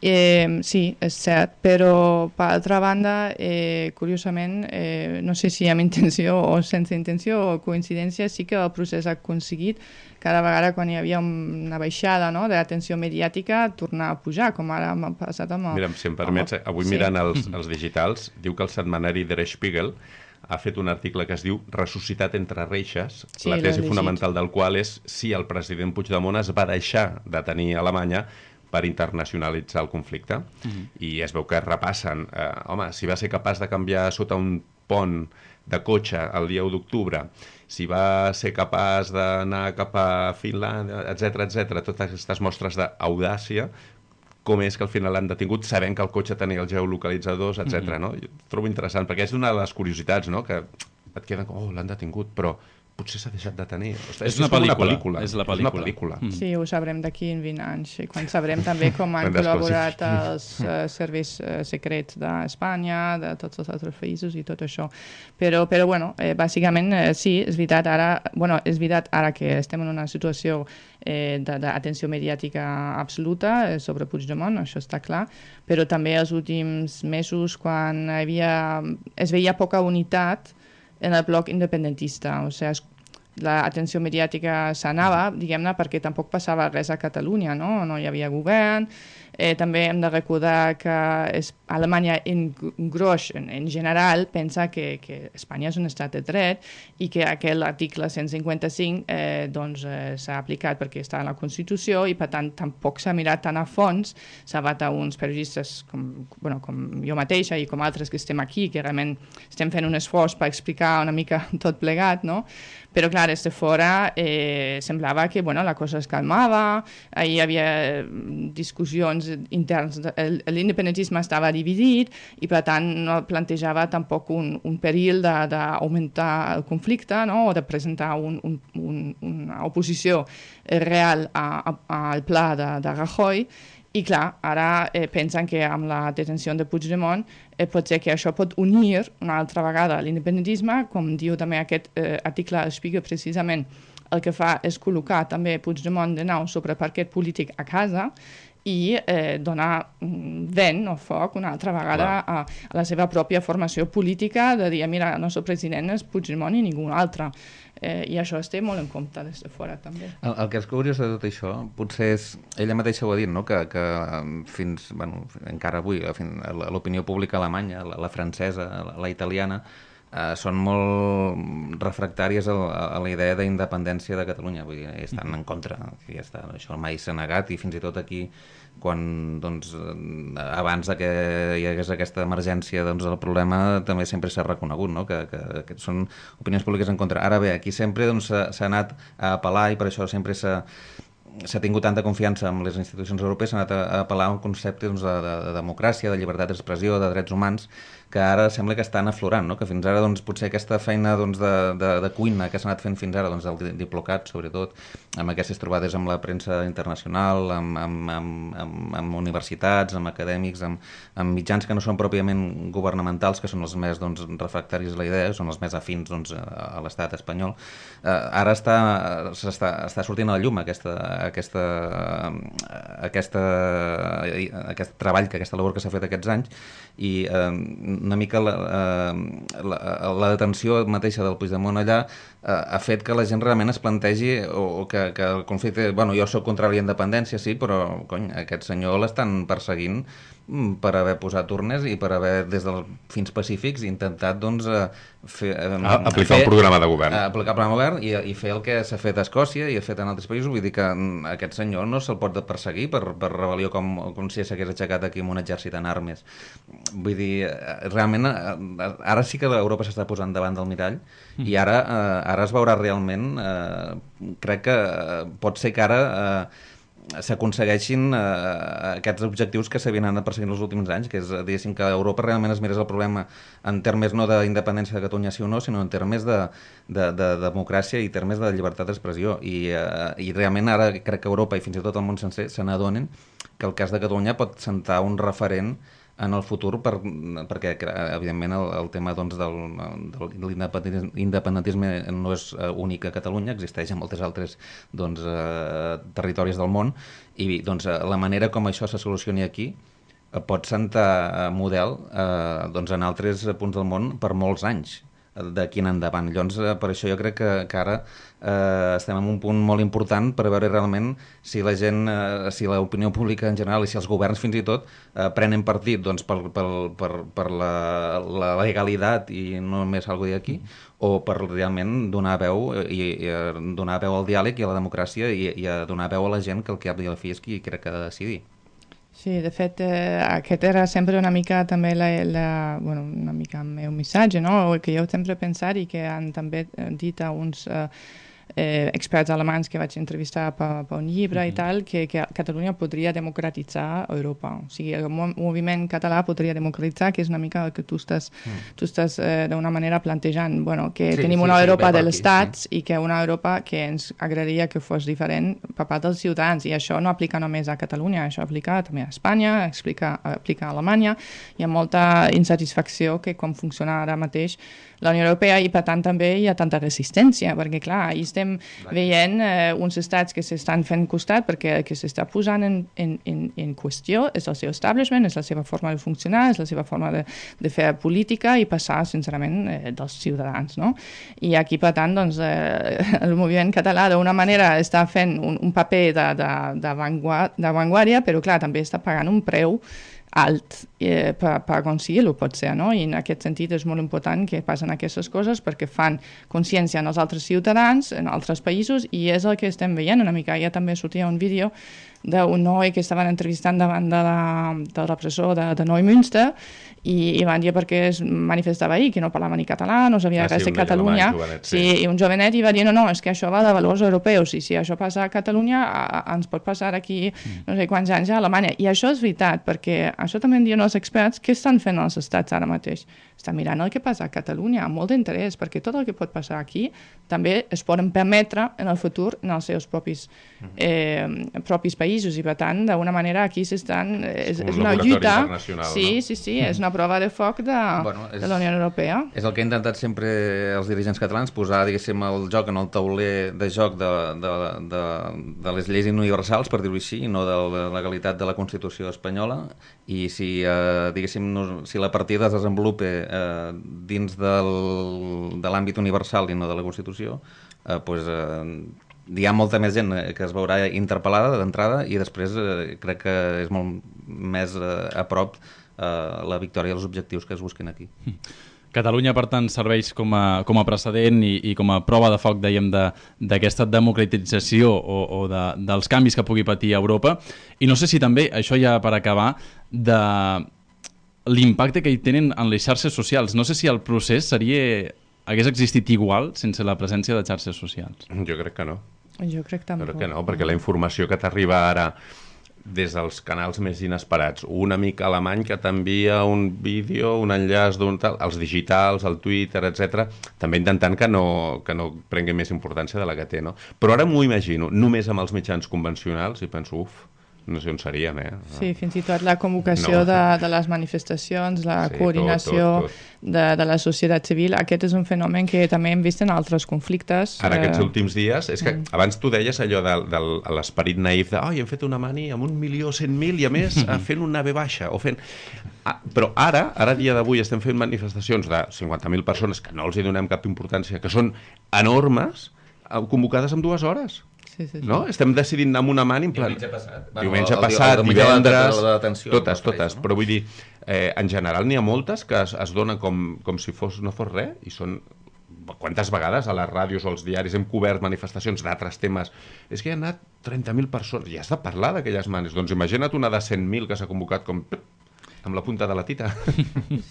Eh, sí, és cert, però per altra banda, eh, curiosament, eh, no sé si amb intenció o sense intenció o coincidència, sí que el procés ha aconseguit cada vegada quan hi havia una baixada no, d'atenció mediàtica tornar a pujar, com ara m'ha passat amb el... Mira, si em permets, avui sí. mirant els, els digitals, diu que el setmanari Der Spiegel ha fet un article que es diu Ressuscitat entre reixes, sí, la tesi fonamental del qual és si el president Puigdemont es va deixar de tenir Alemanya per internacionalitzar el conflicte. Mm-hmm. I es veu que repassen, eh, home, si va ser capaç de canviar sota un pont de cotxe el dia u d'octubre, si va ser capaç d'anar cap a Finlàndia, etcètera, etcètera, totes aquestes mostres d'audàcia, com és que al final l'han detingut sabent que el cotxe tenia els geolocalitzadors, etcètera. Mm-hmm. No? Jo trobo interessant, perquè és una de les curiositats, no? Que et queden com, oh, l'han detingut, però potser s'ha deixat de tenir. Ostres, és, una pel·lícula. una pel·lícula. És la pel·lícula. És una pel·lícula. Mm. Sí, ho sabrem d'aquí en vint anys, quan sabrem també com han col·laborat els uh, serveis uh, secrets d'Espanya, de tots els altres països i tot això. Però, però bueno, eh, bàsicament eh, sí, és veritat ara, bueno, és veritat ara que estem en una situació eh, d'atenció mediàtica absoluta eh, sobre Puigdemont, això està clar, però també els últims mesos quan hi havia, es veia poca unitat en el bloc independentista, o sigui, l'atenció mediàtica s'anava, diguem-ne, perquè tampoc passava res a Catalunya, no? No hi havia govern. Eh, també hem de recordar que es, Alemanya en gros, en, en general, pensa que, que Espanya és un estat de dret i que aquell article cent cinquanta-cinc eh, doncs, eh, s'ha aplicat perquè està en la Constitució i, per tant, tampoc s'ha mirat tan a fons. S'ha bat a uns periodistes com, bueno, com jo mateixa i com altres que estem aquí, que realment estem fent un esforç per explicar una mica tot plegat, no? Però, clar, des de fora eh, semblava que bueno, la cosa es calmava, hi havia discussions interns, l'independentisme estava dividit i, per tant, no plantejava tampoc un, un perill d'augmentar el conflicte, no? O de presentar un, un, un, una oposició real a, a, al pla de, de Rajoy. I clar, ara eh, pensen que amb la detenció de Puigdemont eh, pot ser que això pot unir una altra vegada l'independentisme, com diu també aquest eh, article del Spiegel, precisament el que fa és col·locar també Puigdemont de nou sobre parquet polític a casa i eh, donar vent o foc una altra vegada a, a la seva pròpia formació política de dir, mira, el nostre president és Puigdemont i ningú altre. Eh, I això es té molt en compte des de fora, també. El, el que és curiós de tot això, potser és, ella mateixa ho ha dit, no? que, que fins, bueno, encara avui, l'opinió pública alemanya, la, la francesa, la, la italiana, eh, són molt refractàries a, a la idea d'independència de Catalunya, vull dir, estan en contra, ja està, això mai s'ha negat i fins i tot aquí quan, doncs, abans de que hi hagués aquesta emergència, doncs el problema també sempre s'ha reconegut, no? que, que, que són opinions públiques en contra. Ara bé, aquí sempre doncs, s'ha anat a apel·lar i per això sempre s'ha s'ha tingut tanta confiança en les institucions europees, s'ha anat a, a apel·lar a un concepte doncs, de, de, de democràcia, de llibertat d'expressió, de drets humans, que ara sembla que estan aflorant, no? Que fins ara doncs, potser aquesta feina doncs, de, de, de cuina que s'ha anat fent fins ara, doncs, el Diplocat, sobretot, amb aquestes trobades amb la premsa internacional, amb, amb, amb, amb, amb universitats, amb acadèmics, amb, amb mitjans que no són pròpiament governamentals, que són els més doncs, refractaris a la idea, són els més afins doncs, a l'estat espanyol. Eh, ara està, està, està sortint a la llum aquesta, aquesta, aquesta, aquest treball, que aquesta labor que s'ha fet aquests anys, i eh, una mica la, la, la detenció mateixa del Puigdemont allà eh, ha fet que la gent realment es plantegi o, o que, que el conflicte... Bueno, jo soc contra la independència, sí, però cony, aquest senyor l'estan perseguint per haver posat urnes i per haver, des dels fins pacífics, intentat doncs, fer, eh, aplicar fer, el programa de govern. Aplicar el programa de govern i, i fer el que s'ha fet a Escòcia i ha fet en altres països. Vull dir que aquest senyor no se'l pot perseguir per, per rebel·lió com, com si s'hagués aixecat aquí amb un exèrcit en armes. Vull dir, realment, ara sí que Europa s'està posant davant del mirall mm. i ara, eh, ara es veurà realment, eh, crec que pot ser que ara eh, s'aconsegueixin eh, aquests objectius que s'havien anat perseguint els últims anys, que és, diguéssim, que Europa realment es mirés el problema en termes no d'independència de Catalunya sí o no, sinó en termes de, de, de democràcia i termes de llibertat d'expressió. I, eh, I realment ara crec que Europa i fins i tot el món sencer se n'adonen que el cas de Catalunya pot sentar un referent en el futur, per, perquè evidentment el, el tema doncs, del, de l'independentisme no és únic a Catalunya, existeix en moltes altres doncs, eh, territoris del món, i doncs, la manera com això se solucioni aquí pot sentar model eh, doncs, en altres punts del món per molts anys d'aquí en endavant. Llavors, per això jo crec que, que ara eh, estem en un punt molt important per veure realment si la gent, eh, si l'opinió pública en general i si els governs fins i tot eh, prenen partit doncs, per, per, per, per la, la legalitat i no només algo d'aquí, o per realment donar veu i, i donar veu al diàleg i a la democràcia i, i a donar veu a la gent que el cap i a la fi és qui crec que ha de decidir. Sí, de fet, eh, aquest era sempre una mica també la, la, bueno, una mica el meu missatge, no? Que jo sempre he pensat i que han també dit a uns eh, eh, experts alemans que vaig entrevistar per, per un llibre mm-hmm. i tal, que, que Catalunya podria democratitzar Europa. O sigui, el moviment català podria democratitzar, que és una mica el que tu estàs, mm. tu estàs eh, d'una manera plantejant, bueno, que sí, tenim sí, una sí, Europa de l'estats sí. i que una Europa que ens agradaria que fos diferent per part dels ciutadans, i això no aplica només a Catalunya, això aplica també a Espanya, aplica, aplica a Alemanya. Hi ha molta insatisfacció que com funciona ara mateix la Unió Europea i per tant també hi ha tanta resistència, perquè clar, hi estem veient eh, uns estats que s'estan fent costat perquè el que s'està posant en, en, en, en qüestió és el seu establishment, és la seva forma de funcionar, és la seva forma de, de fer política i passar, sincerament, eh, dels ciutadans, no? I aquí, per tant, doncs, eh, el moviment català d'una manera està fent un, un paper d'avantguàrdia, però clar, també està pagant un preu alt eh, per, per aconseguir-ho, pot ser, no? I en aquest sentit és molt important que passen aquestes coses perquè fan consciència en els altres ciutadans, en altres països, i és el que estem veient una mica. Ja també sortia un vídeo d'un noi que estaven entrevistant davant de la, del repressor de, de Neumünster i, i van dir perquè es manifestava ahir, que no parlava ni català, no sabia ah, res sí, de Catalunya. Jovenet, sí. Sí, i un jovenet i va dir, no, no, és que això va de valors europeus, i si això passa a Catalunya, a, a, ens pot passar aquí no sé quants anys a Alemanya. I això és veritat, perquè això també en diuen els experts, què estan fent els estats ara mateix? Estan mirant el que passa a Catalunya amb molt d'interès, perquè tot el que pot passar aquí també es poden permetre en el futur en els seus propis, eh, propis països, i per tant, d'una manera aquí s'estan... És, és una lluita... Sí, no? sí, sí, és una prova de foc de, bueno, és, de la Unió Europea. És el que han intentat sempre els dirigents catalans, posar, diguéssim, el joc en el tauler de joc de, de, de, de les lleis universals, per dir-ho així, i no de la legalitat de la Constitució espanyola, i si, eh, diguéssim, no, si la partida es desenvolupa eh, dins del, de l'àmbit universal i no de la Constitució, eh, pues, eh, hi ha molta més gent que es veurà interpel·lada d'entrada, i després eh, crec que és molt més eh, a prop eh, la victòria dels objectius que es busquen aquí. Catalunya, per tant, serveix com a, com a precedent i, i com a prova de foc, dèiem, d'aquesta de, democratització o, o de, dels canvis que pugui patir Europa. I no sé si també, això ja per acabar, de l'impacte que hi tenen en les xarxes socials. No sé si el procés seria, hagués existit igual sense la presència de xarxes socials. Jo crec que no. Jo crec també. Crec que no, perquè la informació que t'arriba ara des dels canals més inesperats, un amic alemany que t'envia un vídeo, un enllaç d'un tal, els digitals, el Twitter, etcètera, també intentant que no, que no prengui més importància de la que té, no? Però ara m'ho imagino, només amb els mitjans convencionals, i penso, uf, no sé on seríem, eh? Sí, fins i tot la convocació No. de, de les manifestacions, la Sí, coordinació tot, tot, tot. De, de la societat civil, aquest és un fenomen que també hem vist en altres conflictes. Ara, aquests eh, últims dies, és que Mm. abans tu deies allò de, de, de l'esperit naïf de oi, hem fet una mani amb un milió cent mil i a més eh, fent una ve baixa o fent... Ah, però ara, ara dia d'avui estem fent manifestacions de cinquanta mil persones que no els hi donem cap importància, que són enormes, eh, convocades en dues hores. Sí, sí, sí. No? Estem decidint anar amb una mani en plan... Diumenge passat. Diumenge Bueno, el- el passat, diumenge de la- divendres... de la detenció, totes, em refereixo, totes. no? Però vull dir, eh, en general n'hi ha moltes que es, es donen com, com si fos, no fos res i són... Quantes vegades a les ràdios o als diaris hem cobert manifestacions d'altres temes? És que hi ha anat trenta mil persones i has de parlar d'aquelles manes. Doncs imagina't una de cent mil que s'ha convocat com... amb la punta de la tita.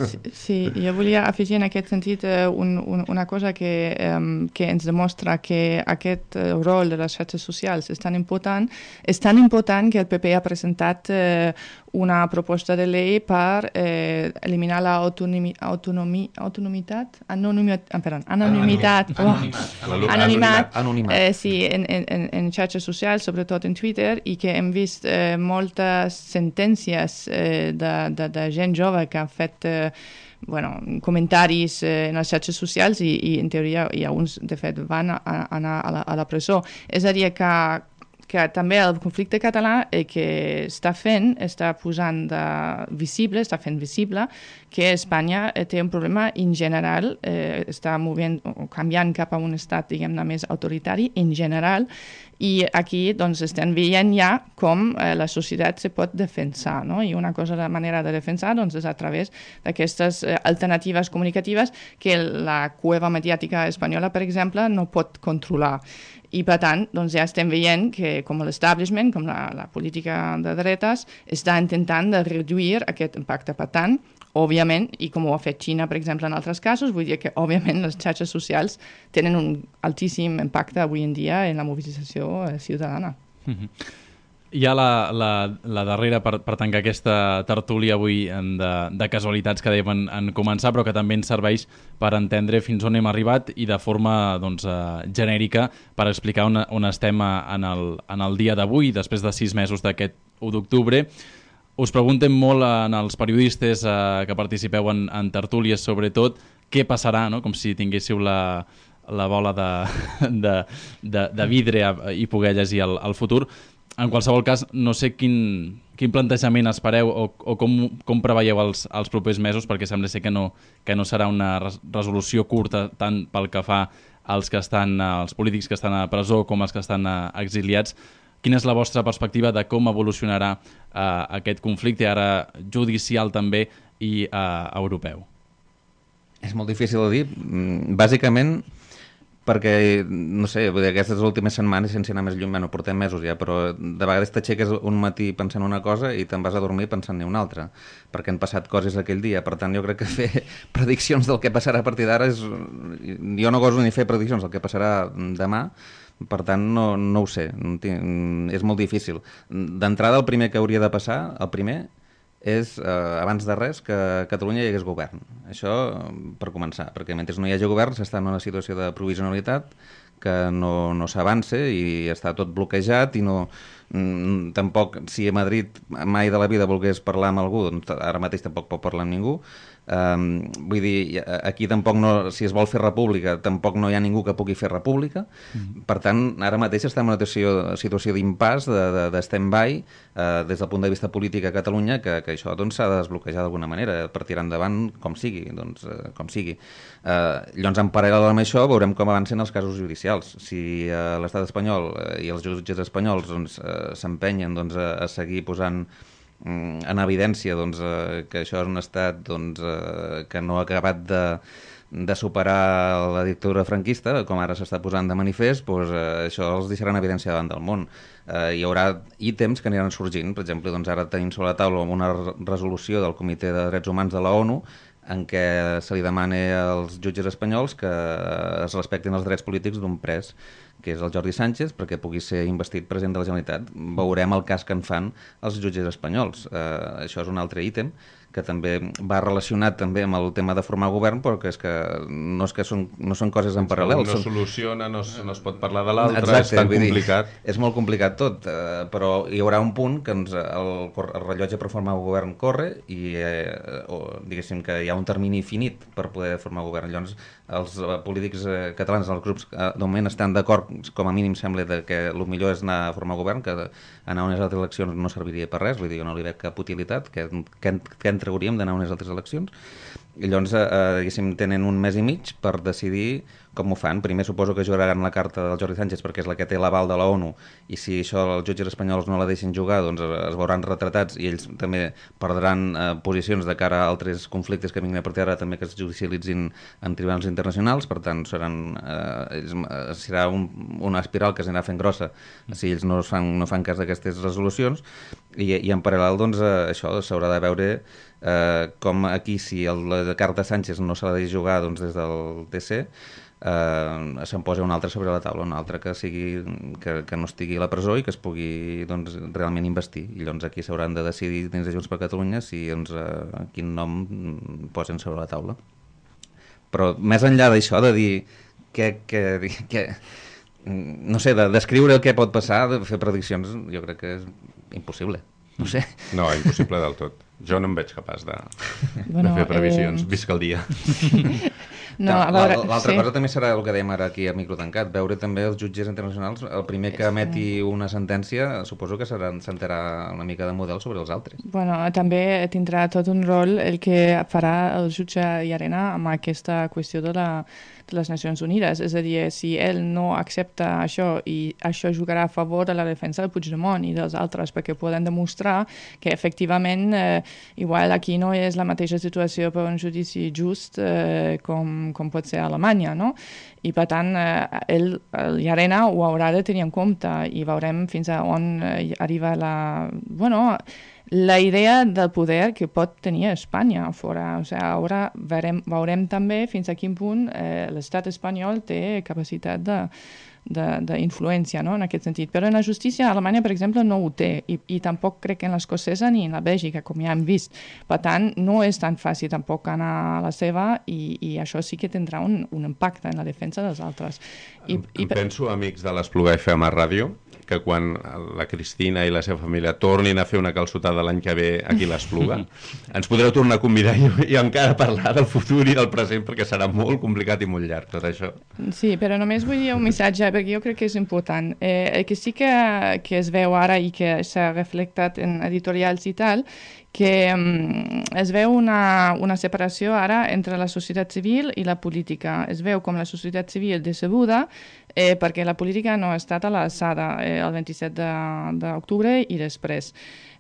Sí, sí, jo volia afegir en aquest sentit eh, un, un, una cosa que, eh, que ens demostra que aquest eh, rol de les xarxes socials és tan important, és tan important que el P P ha presentat eh, una proposta de llei per eh, eliminar l'autonomitat, anonimitat, ah, perdó, anonimitat, oh, L'anonimat. anonimat, Anonimat. eh, sí, en, en, en xarxes socials, sobretot en Twitter, i que hem vist eh, moltes sentències eh, de, de, de gent jove que han fet eh, bueno, comentaris eh, en les xarxes socials i, i en teoria i alguns de fet van a, a anar a la, a la presó. És a dir, que, que també el conflicte català eh, que està fent, està posant de visible, està fent visible que Espanya eh, té un problema en general, eh, està movent o canviant cap a un estat, diguem-ne, més autoritari en general, i aquí doncs, estem veient ja com eh, la societat se pot defensar, no? I una cosa, la manera de defensar doncs, és a través d'aquestes eh, alternatives comunicatives que la cueva mediàtica espanyola, per exemple, no pot controlar. I, per tant, doncs, ja estem veient que com l'establishment, com la, la política de dretes, està intentant de reduir aquest impacte. Per tant, òbviament, i com ho ha fet Xina, per exemple, en altres casos, vull dir que, òbviament, les xarxes socials tenen un altíssim impacte avui en dia en la mobilització eh, ciutadana. Mm-hmm. Hi ha la, la, la darrera per, per tancar aquesta tertúlia avui en de, de casualitats que dèiem en, en començar, però que també ens serveix per entendre fins on hem arribat i de forma doncs, uh, genèrica per explicar on, on estem en el, en el dia d'avui, després de sis mesos d'aquest u d'octubre. Us preguntem molt en els periodistes uh, que participeu en, en tertúlies, sobretot, què passarà, no? Com si tinguéssiu la, la bola de, de, de, de vidre i poder llegir el, el futur. En qualsevol cas, no sé quin, quin plantejament espereu o, o com, com preveieu els, els propers mesos, perquè sembla ser que no, que no serà una res, resolució curta tant pel que fa als, que estan, als polítics que estan a presó com als que estan exiliats. Quina és la vostra perspectiva de com evolucionarà eh, aquest conflicte, ara judicial també i eh, europeu? És molt difícil de dir. Bàsicament perquè, no sé, aquestes últimes setmanes, sense anar més lluny, bueno, portem mesos ja, però de vegades t'aixeques un matí pensant una cosa i te'n vas a dormir pensant-ne una altra, perquè han passat coses aquell dia. Per tant, jo crec que fer prediccions del que passarà a partir d'ara és... Jo no goso ni fer prediccions del que passarà demà, per tant, no, no ho sé, no tinc... és molt difícil. D'entrada, el primer que hauria de passar, el primer, és, eh, abans de res, que a Catalunya hi hagués govern. Això per començar, perquè mentre no hi hagi govern s'està en una situació de provisionalitat que no, no s'avança i està tot bloquejat i no... Mm, tampoc, si a Madrid mai de la vida volgués parlar amb algú, doncs ara mateix tampoc pot parlar amb ningú. Um, vull dir, aquí tampoc no, si es vol fer república, tampoc no hi ha ningú que pugui fer república. Mm. Per tant, ara mateix estem en una situació, situació d'impàs, de, de, de stand-by, uh, des del punt de vista polític a Catalunya, que, que això doncs, s'ha de desbloquejar d'alguna manera, per tirar endavant com sigui, doncs, uh, com sigui. Uh, llavors, en paral·lel amb això, veurem com avancen els casos judicials. Si uh, l'estat espanyol uh, i els jutges espanyols doncs, uh, s'empenyen doncs, a, a seguir posant en evidència doncs, eh, que això és un estat doncs, eh, que no ha acabat de, de superar la dictadura franquista, com ara s'està posant de manifest, doncs, eh, això els deixarà en evidència davant del món. Eh, hi haurà ítems que aniran sorgint. Per exemple, doncs, ara tenim sobre la taula una resolució del Comitè de Drets Humans de la ONU en què se li demana als jutges espanyols que es respectin els drets polítics d'un pres, que és el Jordi Sánchez, perquè pugui ser investit president de la Generalitat. Veurem el cas que en fan els jutges espanyols. Eh, això és un altre ítem que també va relacionat també amb el tema de formar govern, però que és que no, és que són, no són coses en paral·lel. No són... soluciona, no, no es pot parlar de l'altre, és tan complicat. Dir, és molt complicat tot, eh, però hi haurà un punt que ens, el, el rellotge per formar govern corre i eh, o, diguéssim que hi ha un termini finit per poder formar govern. Llavors, els polítics eh, catalans, els grups, eh, de moment estan d'acord, com a mínim sembla, de que el millor és anar a formar govern, que anar a unes altres eleccions no serviria per res, vull dir, no li veig cap utilitat, que, que, que en trauríem d'anar a unes altres eleccions. I llavors, eh, diguéssim, tenen un mes i mig per decidir com ho fan. Primer suposo que jugaran la carta del Jordi Sánchez perquè és la que té l'aval de la ONU, i si això els jutges espanyols no la deixen jugar, doncs es veuran retratats i ells també perdran eh, posicions de cara a altres conflictes que vinguin a partir d'ara també que es judicialitzin en tribunals internacionals. Per tant, seran, eh, ells, eh, serà un, una espiral que s'anirà fent grossa si ells no fan, no fan cas d'aquestes resolucions, i, i en paral·lel doncs, eh, això s'haurà de veure eh, com aquí, si el, la carta Sánchez no se la deixa jugar doncs, des del T C, Uh, se'n posa un altre sobre la taula, un altre que sigui que, que no estigui a la presó i que es pugui doncs, realment investir, i llavors aquí s'hauran de decidir dins de Junts per Catalunya si doncs, uh, quin nom posen sobre la taula. Però més enllà d'això, de dir que, que, que no sé, de descriure el que pot passar, de fer prediccions, jo crec que és impossible. No sé. No, impossible del tot. Jo no em veig capaç de, bueno, de fer previsions. Eh... Visca el dia. No, L'altra sí. cosa també serà el que dèiem ara aquí a micro tancat, veure també els jutges internacionals, el primer que emeti una sentència suposo que s'enterà una mica de model sobre els altres. Bueno, també tindrà tot un rol el que farà el jutge Llarena amb aquesta qüestió de, la, de les Nacions Unides, és a dir, si ell no accepta això i això jugarà a favor de la defensa del Puigdemont i dels altres, perquè poden demostrar que efectivament eh, igual aquí no és la mateixa situació per un judici just eh, com com pot ser a Alemanya, no? I per tant, eh, ell, el Llarena ho haurà de tenir en compte i veurem fins a on eh, arriba la, bueno, la idea del poder que pot tenir Espanya a fora. O sigui, ara veurem, veurem també fins a quin punt eh, l'estat espanyol té capacitat de d'influència, no? En aquest sentit. Però en la justícia alemanya, per exemple, no ho té, i, i tampoc crec que en l'escocesa ni en la Bèlgica, com ja hem vist. Per tant, no és tan fàcil tampoc anar a la seva, i, i això sí que tindrà un, un impacte en la defensa dels altres. I, em, i... em penso, amics de l'Espluga F M a Ràdio, que quan la Cristina i la seva família tornin a fer una calçotada l'any que ve aquí a l'Espluga, ens podreu tornar a convidar i, i encara parlar del futur i del present, perquè serà molt complicat i molt llarg tot això. Sí, però només vull dir un missatge, perquè jo crec que és important. Eh, el que sí que, que es veu ara i que s'ha reflectat en editorials i tal, que um, es veu una, una separació ara entre la societat civil i la política. Es veu com la societat civil decebuda eh, perquè la política no ha estat a l'alçada eh, el vint-i-set d'octubre i després.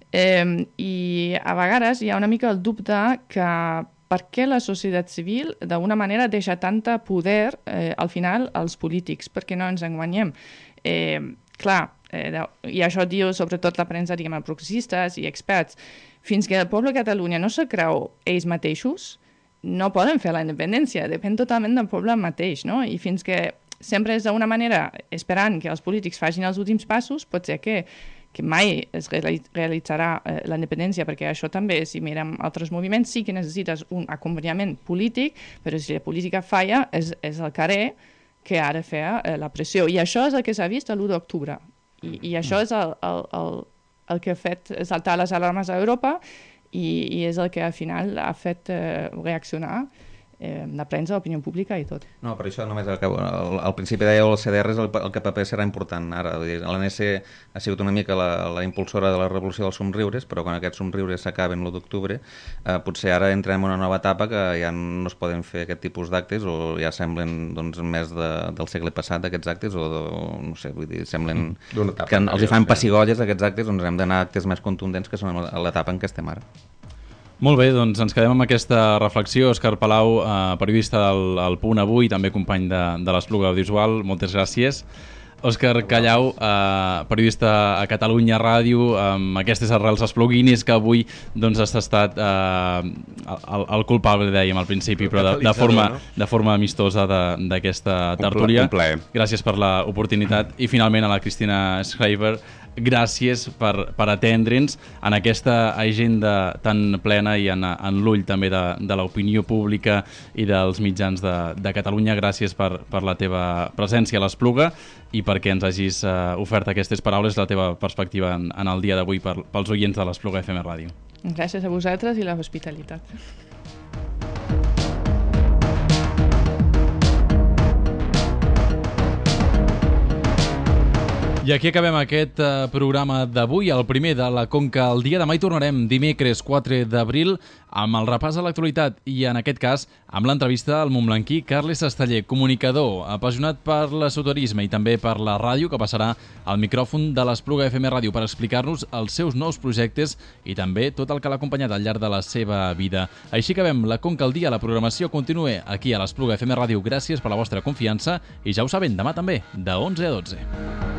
Eh, I a vegades hi ha una mica el dubte que per què la societat civil d'una manera deixa tanta poder eh, al final als polítics, perquè no ens enganyem. Eh, clar, eh, i això diu sobretot la premsa, diguem, progressistes i experts, fins que el poble de Catalunya no se creu ells mateixos, no poden fer la independència, depèn totalment del poble mateix, no? I fins que sempre és d'una manera esperant que els polítics facin els últims passos, pot ser que, que mai es realitzarà eh, la independència, perquè això també, si mirem altres moviments, sí que necessites un acompanyament polític, però si la política falla, és, és el carrer que ha de fer eh, la pressió. I això és el que s'ha vist l'u d'octubre. I, I això és el, el, el el que ha fet saltar les alarmes a Europa i, i és el que al final ha fet eh, reaccionar eh, la premsa, l'opinió pública i tot. No, per això només al, al, al principi deia el C D R, el, el que paper serà important ara. L'A N C ha sigut una mica la, la impulsora de la revolució dels somriures, però quan aquests somriures s'acaben l'u d'octubre, eh, potser ara entrem en una nova etapa que ja no es poden fer aquest tipus d'actes, o ja semblen doncs, més de, del segle passat aquests actes, o, de, o no sé, vull dir, semblen etapa, que els hi fan pessigolles aquests actes, doncs hem d'anar a actes més contundents que són a l'etapa en què estem ara. Molt bé, doncs ens quedem amb aquesta reflexió. Òscar Palau, eh, periodista del El Punt Avui, també company de, de l'Espluga Audiovisual, moltes gràcies. Òscar Callau, eh, periodista a Catalunya Ràdio, amb aquestes arrels espluguinis que avui doncs, has estat eh, el, el culpable, dèiem al principi, però de, de, forma, no? de forma amistosa d'aquesta tertúlia. Un plaer. Gràcies per l'oportunitat. I finalment a la Cristina Schreiber, gràcies per, per atendre'ns en aquesta agenda tan plena i en, en l'ull també de, de l'opinió pública i dels mitjans de, de Catalunya. Gràcies per, per la teva presència a l'Espluga i perquè ens hagis uh, ofert aquestes paraules, la teva perspectiva en, en el dia d'avui per, pels oients de l'Espluga F M Ràdio. Gràcies a vosaltres i la hospitalitat. I aquí acabem aquest uh, programa d'avui, el primer de la Conca al dia. Demà hi tornarem dimecres quatre d'abril amb el repàs a l'actualitat i en aquest cas amb l'entrevista al montblanquí Carles Esteller, comunicador, apassionat per l'esoterisme i també per la ràdio, que passarà al micròfon de l'Espluga F M Ràdio per explicar-nos els seus nous projectes i també tot el que l'ha acompanyat al llarg de la seva vida. Així acabem la Conca al dia. La programació continua aquí a l'Espluga F M Ràdio. Gràcies per la vostra confiança i ja ho saben, demà també, de onze a dotze.